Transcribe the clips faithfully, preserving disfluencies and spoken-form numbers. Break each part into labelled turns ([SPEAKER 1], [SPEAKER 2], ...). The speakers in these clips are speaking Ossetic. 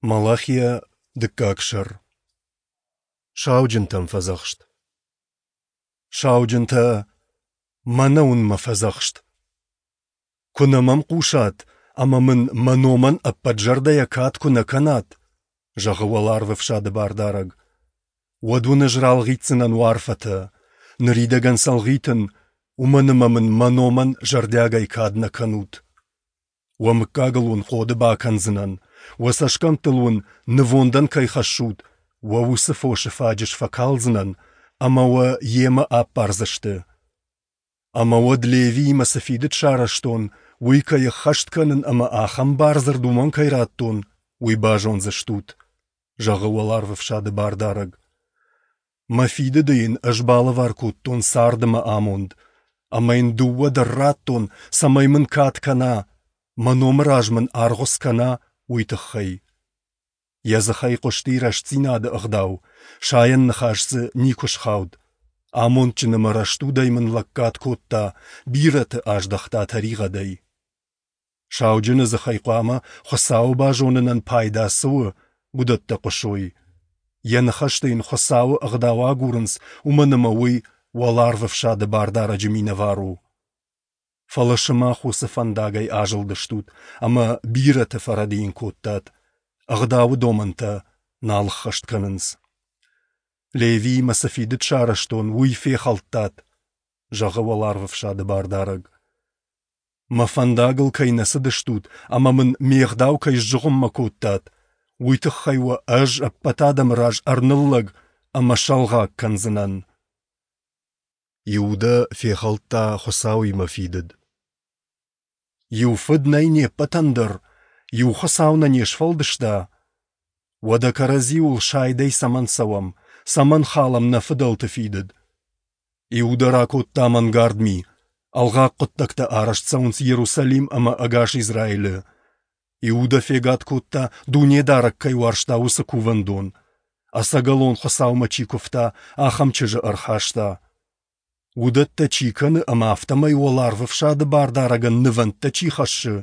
[SPEAKER 1] Малахия, дыккаг сӕр. Сауджынтӕм фӕдзӕхст. Сауджынтӕ, мӕнӕ уын мӕ фӕдзӕхст. Куы нӕ мӕм хъусат ӕмӕ мын мӕ номӕн ӕппӕт зӕрдӕйӕ кад куы нӕ кӕнат, зӕгъы Уӕларвӕфсады Бардарӕг, уӕд уын ӕз ралгъитдзынӕн уӕ арфӕтӕ. Ныридӕгӕн сӕ ӕлгъитын, уымӕн ӕмӕ мын мӕ номӕн зӕрдиагӕй кад нӕ кӕнут. Уӕ мыггагыл уын хъоды бакӕндзынӕн, уӕ цӕсгӕмттыл уын, нывондӕн кӕй хӕссут, уӕ уыцы фосы фаджыс фӕкалдзынӕн, ӕмӕ уӕ йемӕ аппардзысты. Ӕмӕ уӕд Левиимӕ цы фидыд сарӕзтон, уый кӕй ӕххӕст кӕнын ӕмӕ ахӕм бардзырд уымӕн кӕй радтон, уый базондзыстут, зӕгъы Уӕларвӕфсады Бардарӕг. Мӕ фидыды йын ӕз балӕвар кодтон цард ӕмӕ амонд, ӕмӕ йын дыууӕ дӕр радтон, цӕмӕй мын кад кӕна, мӕ номы раз мын аргъуыц кӕна, уый тыххӕй. Йӕ дзыхӕй хъуысти рӕстдзинады ӕгъдау, сайӕн ныхас дзы никуы схауд. Амондджын ӕмӕ рӕстудӕй мын лӕггад кодта, бирӕты аздӕхта тӕригъӕдӕй. Сауджыны дзыхӕй хъуамӕ, Хуыцауы базонынӕн пайда цы у, уыдӕттӕ хъуысой. Йӕ ныхӕсты йын Хуыцауы ӕгъдау агурынц, уымӕн ӕмӕ уый Уӕларвӕфсады Бардарӕджы минӕвар у. Фӕлӕ сымах уыцы фӕндагӕй азылдыстут ӕмӕ бирӕты фӕрӕдийын кодтат, ӕгъдауы домӕнтӕ нал ӕххӕст кӕнынц. Левиимӕ цы фидыд сарӕзтон, уый фехӕлдтат, зӕгъы Уӕларвӕфсады Бардарӕг. Мӕ фӕндагыл кӕй нӕ цыдыстут ӕмӕ мын ме гъдау кӕй сзыгъуыммӕ кодтат, уый тыххӕй уӕ ӕз ӕппӕт адӕмы раз ӕрныллӕг ӕмӕ сӕлгъаг кӕндзынӕн. Иудӕ фехӕлдта Хуыцауимӕ фидыд. Иу фыд нӕй не ппӕтӕн дӕр, иу Хуыцау нӕ не сфӕлдыста. Уӕдӕ кӕрӕдзиуыл сайдӕй цӕмӕн цӕуӕм, цӕмӕн халӕм нӕ фыдӕлты фидыд? Иудӕ ракодта мӕнгард ми, ӕлгъаг хъуыддӕгтӕ арӕзт цӕуынц Иерусалим ӕмӕ ӕгас Израилы. Иудӕ фегад кодта, Дунедарӕг кӕй уарзта, уыцы кувӕндон. Ӕцӕгӕлон Хуыцаумӕ чи куывта, ахӕм чызджы ӕрхаста. Уыдӕттӕ чи кӕны ӕмӕ афтӕмӕй Уӕларвӕфсады Бардарӕгӕн нывӕндтӕ чи хӕссы,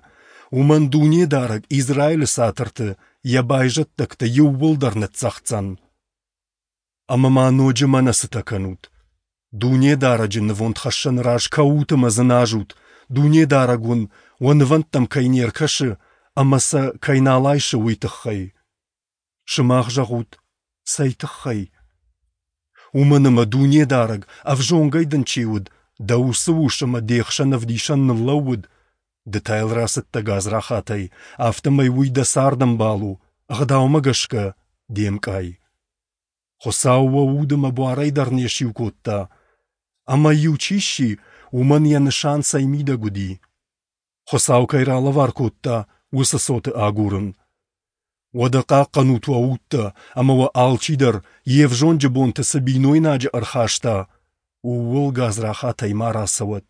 [SPEAKER 1] уымӕн Дунедарӕг Израилы цатырты йӕ байзӕддӕгтӕ иууылдӕр ныццӕгъддзӕн. Ӕмӕ ма ноджы мӕнӕ цытӕ кӕнут! Дунедарӕджы нывондхӕссӕны раз кӕут ӕмӕ дзыназут, Дунедарӕг уын уӕ нывӕндтӕм кӕй не ркӕсы ӕмӕ сӕ кӕй нал айсы, уый тыххӕй. Сымах зӕгъут, цӕй тыххӕй? Уымӕн ӕмӕ Дунедарӕг, ӕвзонгӕй дын чи уыд, дӕ уыцы ус ӕмӕ де хсӕн ӕвдисӕн ныллӕууыд, ды та йыл рацыдтӕ гадзрахатӕй, афтӕмӕй уый дӕ цардӕмбал у, ӕгъдаумӕ гӕсгӕ де мкъай. Хуыцау уӕ уд ӕмӕ буарӕй дӕр не сиу кодта. Ӕмӕ иу чи сси, уымӕн йӕ нысан цӕй мидӕг уыди? Хуыцау кӕй ралӕвар кодта, уыцы цоты агурын. Уӕдӕ хъахъхъӕнут уӕ удтӕ, ӕмӕ уӕ алчидӕр, йе взонджы бонты цы бинойнаджы ӕрхаста, ууыл гадзрахатӕй ма рацӕуӕд.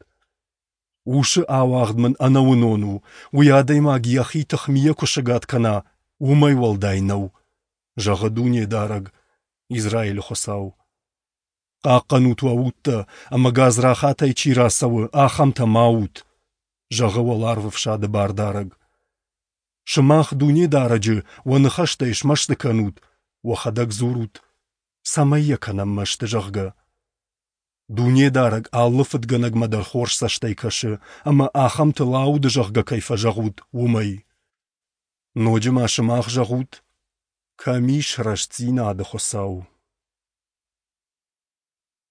[SPEAKER 1] Усы ауагъд мын ӕнӕуынон у, уый адӕймаг йӕхи тыхмийӕ куы сыгад кӕна, уымӕй уӕлдай нӕу, зӕгъы Дунедарӕг, Израилы Хуыцау. Хъахъхъӕнут уӕ удтӕ, ӕмӕ гадзрахатӕй чи рацӕуы, ахӕмтӕ ма ут, зӕгъы Уӕларвӕфсады Бардарӕг. Сымах Дунедарӕджы уӕ ныхӕстӕй смӕсты кӕнут, уӕхӕдӕг дзурут, цӕмӕй йӕ кӕнӕм мӕсты, зӕгъгӕ. Дунедарӕг алы фыдгӕнӕгмӕ дӕр хорз цӕстӕй кӕсы, ӕмӕ ахӕмтыл ауды, зӕгъгӕ, кӕй фӕзӕгъут, уымӕй. Ноджы ма сымах зӕгъут, кӕм ис рӕстдзинады Хуыцау?